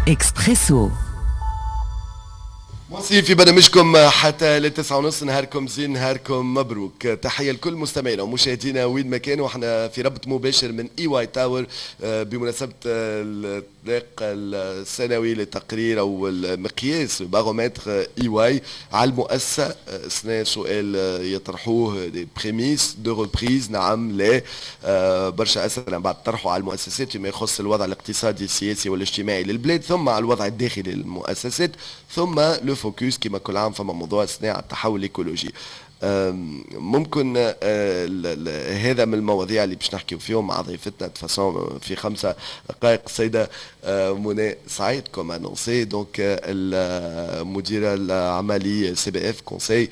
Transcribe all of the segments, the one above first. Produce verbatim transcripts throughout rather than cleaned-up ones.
اكسبريسو. مواصلين في برنامجكم حتى للتسعة ونص. نهاركم زين، نهاركم مبروك. تحية لكل مستمعينا ومشاهدينا وين ما كانوا. احنا في ربط مباشر من EY Tower بمناسبة الاطلاق السنوي لتقرير او المقياس بارومتر EY على المؤسسة. سنة سؤال يطرحوه des prémices de reprise، نعم لا، آه، برشا اسئلة بعد طرحوا على المؤسسات فيما يخص الوضع الاقتصادي السياسي والاجتماعي للبلاد، ثم على الوضع الداخلي للمؤسسات، ثم le focus كما كل عام فما موضوع السنة التحول الايكولوجي. ممكن آه، هذا من المواضيع اللي باش نحكيو فيهم مع ضيفتنا de façon في خمسة دقائق، السيدة آه، منى سعيد، comme annoncé، donc المديرة العملي CBF conseil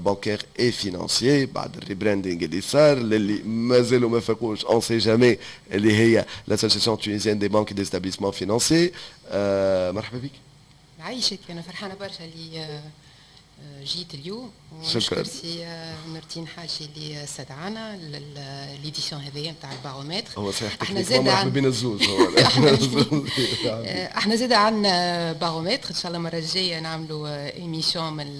bancaire et financier بعد ال rebranding اللي صار، للي مازالوا ما فاقوش، on sait jamais، اللي هي l'association tunisienne des banques des établissements financiers. مرحبا بك. عايشك، انا فرحانة برشا اللي آه، جيت اليوم. شكرا. سي نور الدين حاجي اللي استدعانا l'édition هذيا نتاع البارومتر. هو صحيح، احنا زاد مرحبا بين الزوز. احنا زاد عندنا بارومتر، ان شاء الله المرة الجاية نعملوا émission من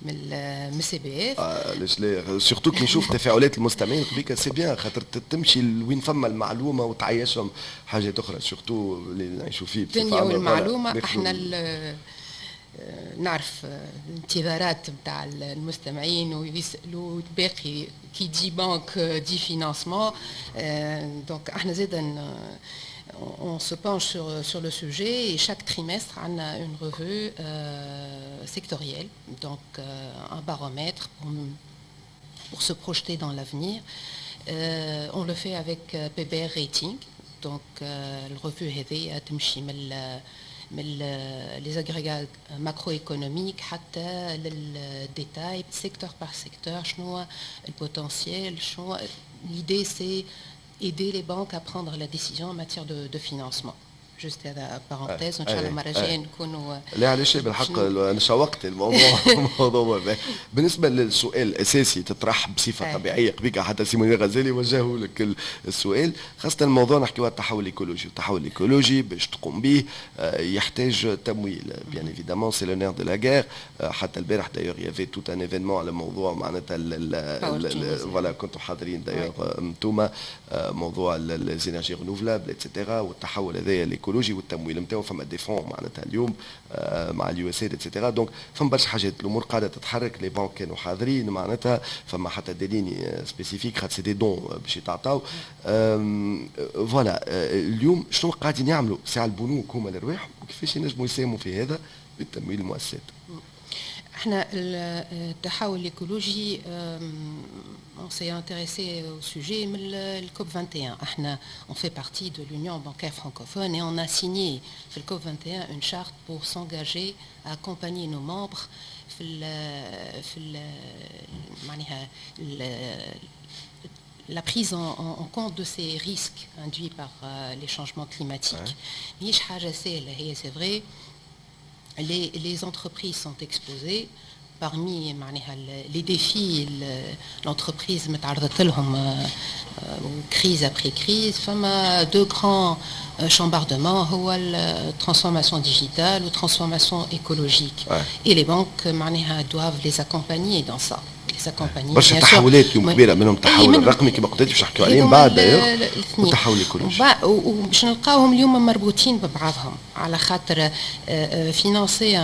من من CBF. علاش لا؟ surtout كي نشوف تفاعلات المستمعين قبيك، c'est bien، خاطر تمشي لوين فما المعلومة وتعيشهم حاجات اخرى، surtout اللي نعيشوا فيه. الدنيا والمعلومه. احنا نعرف الانتظارات نتاع المستمعين ويسالوا باقي qui dit banque dit financement، donc احنا زاد on se penche sur, sur le sujet et chaque trimestre, on a une revue euh, sectorielle, donc euh, un baromètre pour, pour se projeter dans l'avenir. Euh, on le fait avec P B R Rating, donc ال revue هذه تمشي من من les agrégats macroéconomiques حتى لل détail secteur par secteur، شنو ال potentiel، شنو l'idée، c'est aider les banques à prendre la décision en matière de, de financement. juste هذا parenthèse، وان شاء الله المرة الجاية نكونوا لا علاش، بالحق انا شوقت الموضوع الموضوع بالنسبة للسؤال الاساسي تطرح بصفة طبيعيه، قبيك حتى سي منير غزالي وجهه لك السؤال، خاصة الموضوع نحكيو على التحول الايكولوجي. التحول الايكولوجي باش تقوم به آه، يحتاج تمويل، bien évidemment، c'est le nerf de la guerre. حتى البارح d'ailleurs y avait tout un événement على موضوع معناتها، voilà، كنتوا حاضرين d'ailleurs انتوما، آه، موضوع les énergies renouvelables et cetera والتحول هذايا الايكولوجي والتمويل نتاعو. فما des fonds معناتها اليوم آه، مع ال USAID et cetera، donc فما برشا حاجات، الامور قاعدة تتحرك. les banques كانوا حاضرين، معناتها فما حتى des lignes spécifiques خاطر c'est des dons باش يتعطاو. voilà، اليوم شنو قاعدين يعملوا ساعة البنوك هما لرواحهم وكيفاش ينجموا يساهموا في هذا بالتمويل المؤسسات؟ احنا التحول الايكولوجي on s'est intéressé au sujet من ال COP واحد وعشرين. احنا on fait partie de l'Union bancaire francophone et on a signé في ال COP واحد وعشرين une charte pour s'engager à accompagner nos membres في ال في ال معناها la prise en, en, compte de ces risques induits par euh, les changements climatiques. ماهيش حاجة سهلة هي، c'est vrai، les, les entreprises sont exposées. parmi معناها les défis l'entreprise متعرضت لهم crise après crise، فما deux grands chambardements، هو transformation digitale ou transformation écologique ouais. et les banques معناها doivent les accompagner dans ça، les accompagner. برشا تحولات اليوم كبيره، منهم التحول الرقمي كما قلت باش نحكيو عليه من بعد، والتحول الايكولوجي. وباش نلقاوهم اليوم مربوطين ببعضهم، على خاطر financer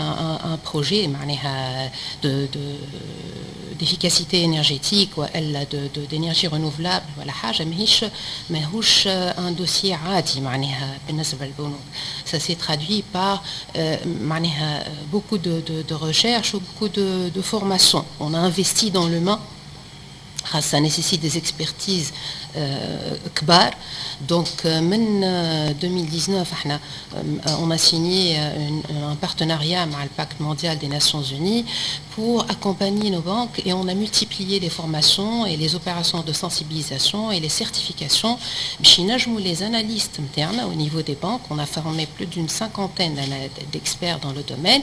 un projet معناها de de d'efficacité énergétique والا de d'énergie renouvelable ولا حاجه، ماهيش ماهوش un dossier عادي معناها بالنسبة للبنوك. ça s'est traduit par معناها beaucoup de, de, de recherche ou beaucoup de, de formation. On a investi dans l'humain، ça nécessite des expertises كبار. donc من ألفين وتسعطاش احنا on a signé un partenariat مع le Pacte mondial des Nations Unies pour accompagner nos banques et on a multiplié les formations et les opérations de sensibilisation et les certifications باش ينجموا les analystes نتاعنا au niveau des banques، on a formé plus d'une cinquantaine d'experts dans le domaine،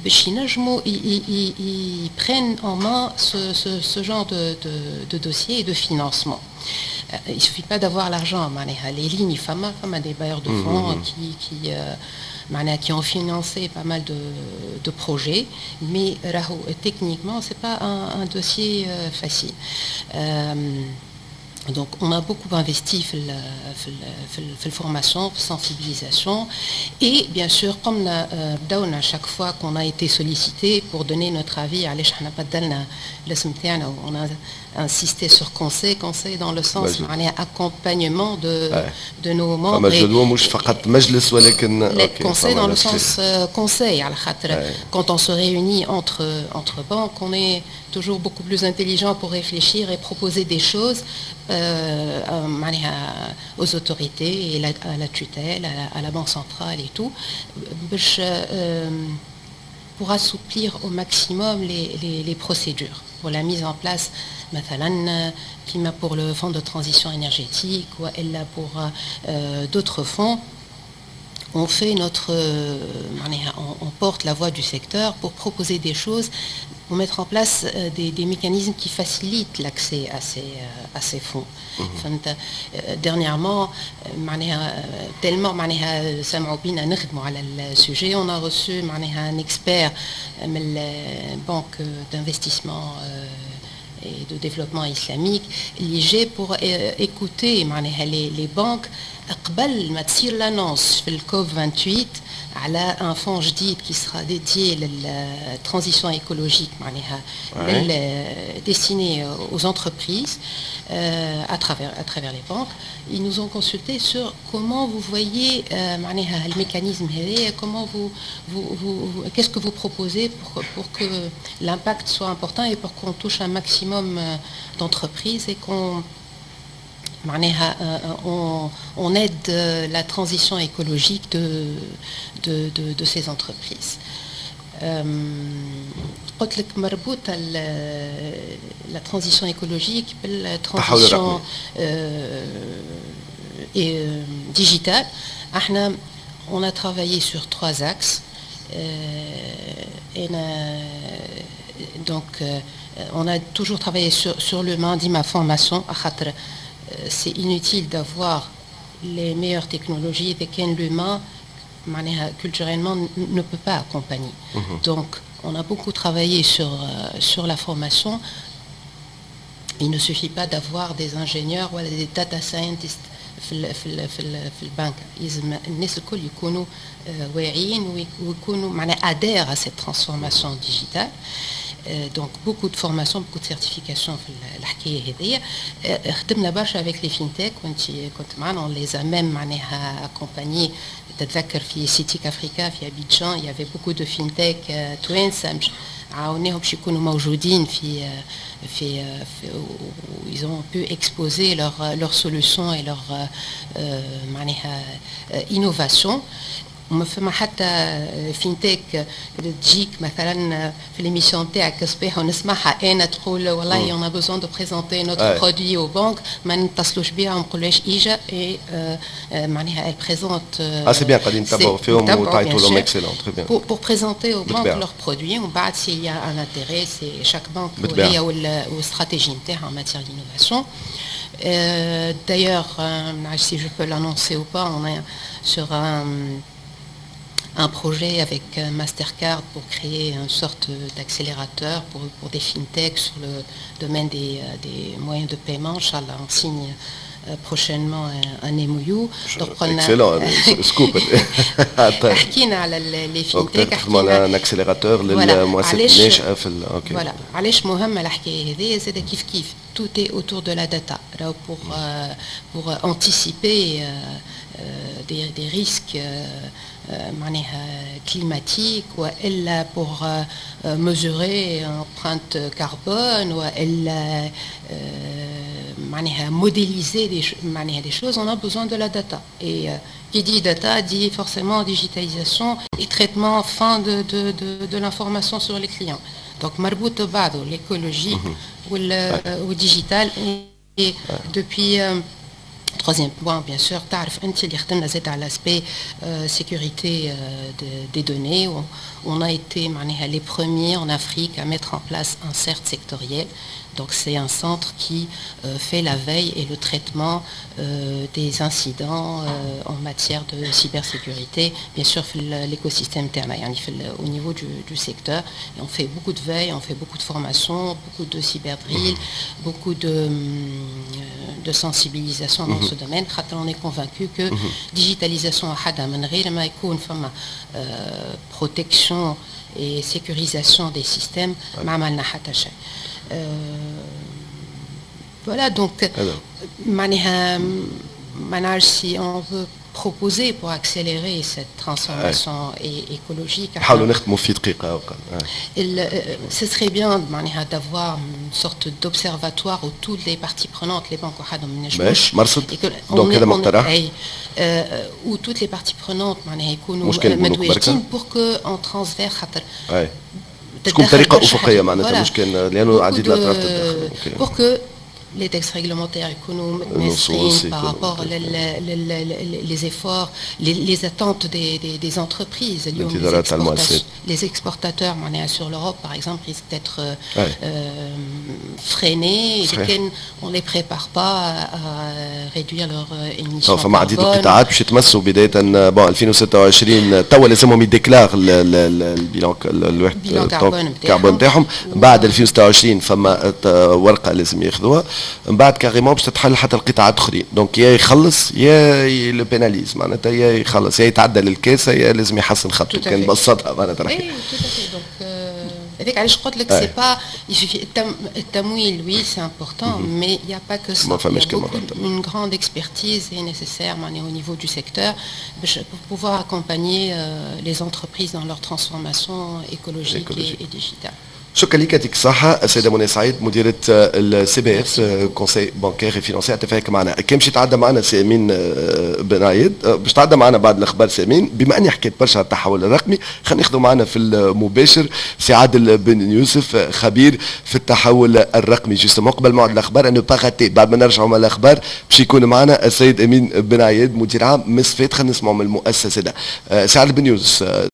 باش ينجموا ils prennent en main ce, ce, ce genre de, de, de dossiers et de financement. Il suffit pas d'avoir l'argent، معناها les lignes فما فما des bailleurs de fonds qui qui euh, معناها qui ont financé pas mal de, de projets, mais راهو techniquement c'est pas un, un dossier euh, facile. Euh, donc on a beaucoup investi في في formation, sensibilisation et bien sûr comme بداونا à chaque fois qu'on a été sollicité pour donner notre avis, علاش احنا بدلنا الاسم تاعنا, on a insisté sur conseil, conseil dans le sens معناها accompagnement de de nos membres. فما مش فقط مجلس ولكن conseil dans le sens conseil, على خاطر quand on se réunit entre entre banques, on est toujours beaucoup plus intelligent pour réfléchir et proposer des choses euh, معناها aux autorités et la, à la tutelle, à la, à la Banque centrale et tout, باش euh, pour assouplir au maximum les, les, les procédures pour la mise en place, مثلا كيما pour le fonds de transition énergétique ou pour euh, d'autres fonds. On fait notre, معناها on, on porte la voix du secteur pour proposer des choses, pour mettre en place des, des mécanismes qui facilitent l'accès à ces, à ces fonds. فهمت, dernièrement معناها tellement معناها سمعوا بينا نخدموا على ال sujet, on a reçu معناها un expert من banque d'investissement et de développement islamique اللي جاي pour écouter معناها les, les banques قبل ما تصير l'annonce في ال COP vingt-huit على un fonds جديد qui sera dédié لل transition écologique, معناها destiné aux entreprises euh, à travers à travers les banques. Ils nous ont consulté sur comment vous voyez euh, معناها le mécanisme هذايا, comment vous, vous, vous, qu'est-ce que vous proposez pour, pour que l'impact soit important et pour qu'on touche un maximum d'entreprises et qu'on معناها on, on aide la transition écologique de, de, de, de ces entreprises. قلت لك مربوطة la transition écologique بال transition digitale. احنا on a travaillé sur trois axes. Et donc on a toujours travaillé sur, sur l'humain, ديما formation, خاطر c'est inutile d'avoir les meilleures technologies إذا كان l'humain معناها culturellement ne peut pas accompagner. Mmh. Donc on a beaucoup travaillé sur, euh, sur la formation. Il ne suffit pas d'avoir des ingénieurs ou des data scientists في ال في ال في, ال في البنك, لازم الناس الكل يكونوا واعيين ويكونوا معناها adhèrent à cette transformation digitale. Donc beaucoup de formations, beaucoup de certifications في الحكايه هذيا. خدمنا برشا avec les fintech, وانت كنت معنا, on les a même معناها accompagnés. تتذكر في SITIC Africa في Abidjan, il y avait beaucoup de fintech توانسه, عاوناهم باش يكونوا موجودين في في, في ils ont pu exposer leur leurs solutions et leur معناها innovation. وما فما حتى fintech تجيك مثلا في l'émission تاعك صباح ونسمعها انا تقول والله on a besoin de présenter notre produit aux banques, ما نتصلوش بها ونقولوش ايجا et معناها elle présente. اه c'est bien, قاعدين نتبعوا فيهم وتعيطوا لهم, excellent, très bien. pour, pour présenter aux banques leurs produits, ومن بعد s'il y a un intérêt, c'est chaque banque هي وال stratégie نتاعها en matière d'innovation. Euh, D'ailleurs, euh, si je peux l'annoncer ou pas, on est sur un, un projet avec Mastercard pour créer une sorte d'accélérateur pour, pour des fintechs sur le domaine des, des moyens de paiement. إن شاء الله, on signe prochainement un, un M O U. Donc, excellent scoop. حكينا على les fintechs. حكينا un accélérateur للمؤسسات الناشئه في OK. Voilà, علاش مهمه الحكايه هذه زاد كيف كيف, tout est autour de la data pour euh, pour anticiper euh, des, des risques معناها climatiques والا pour mesurer empreinte carbone والا معناها modéliser des, معناها des choses, on a besoin de la data. Et qui dit data dit forcément digitalisation et traitement fin de, de, de, de l'information sur les clients. Donc مربوط ببعضه l'écologie وال digital. Et depuis euh, troisième point, bien sûr, تعرف انت اللي خدمنا زاد على l'aspect euh, sécurité euh, de, des données. On, on a été معناها les premiers en Afrique à mettre en place un CERT sectoriel. Donc c'est un centre qui euh, fait la veille et le traitement euh, des incidents euh, en matière de cybersécurité, bien sûr في l'écosystème تاعنا يعني في au niveau du, du secteur. Et on fait beaucoup de veille, on fait beaucoup de formations, beaucoup de cyberdrill, beaucoup de, de sensibilisation dans ce domaine. خاطر on est convaincu que digitalisation وحدها من غير ما يكون فما protection et sécurisation des systèmes ما عملنا حتى شيء. Voilà, donc معناها ما نعرفش si on veut proposer pour accélérer cette transformation ouais. écologique. نحاولوا نختموا في دقيقة. Ce serait bien معناها d'avoir une sorte d'observatoire où toutes les parties prenantes, les banques وحدهم ماشي مرصد donc هذا مقترح où toutes les parties prenantes معناها يكونوا متواجدين pour que en transverse خاطر تكون بطريقة أفقية معناتها مش كان لأنه عديد الأطراف تتدخل pour que les textes réglementaires يكونوا متناسقين par rapport les efforts, les, les attentes des, des, des entreprises. Les, les exportateurs sur l'Europe, par exemple, risquent d'être ouais. euh, freinés et on ne les prépare pas à, à réduire leurs émissions. فما عديد القطاعات باش يتمسوا بداية bon ألفين وستة وعشرين توا لازمهم ي déclare ال bilan الواحد كربون تاعهم. بعد ألفين وستة وعشرين فما ورقة لازم ياخذوها. من بعد carrément باش تتحل حتى القطاعات اخرين. donc يا يخلص يا le pénalise، معناتها يا يخلص يا يتعدى للكاسه يا لازم يحسن خطه كان بسطها معناتها. اي donc هذاك علاش قلت لك c'est pas il suffit التمويل, oui, c'est important, mais il y a pas que ça. ما فماش كما une grande expertise est nécessaire معناها au niveau du secteur pour pouvoir accompagner les entreprises dans leur transformation écologique et, et digitale. شكرا لك، يعطيك الصحة السيدة منى سعيد، مديرة ال CBF, conseil bancaire financier. اتفاق معنا كان باش يتعدى معنا سي امين بن عيد، باش تعدى معنا بعد الاخبار سي امين. بما اني حكيت برشا على التحول الرقمي، خلينا ناخذوا معنا في المباشر سي عادل بن يوسف، خبير في التحول الرقمي. justement قبل موعد الاخبار à ne pas rater، بعد ما نرجعوا من الاخبار باش يكون معنا السيد امين بن عياد، مدير عام مصفاة. خلينا نسمعوا من المؤسسة ده. سي عادل بن يوسف.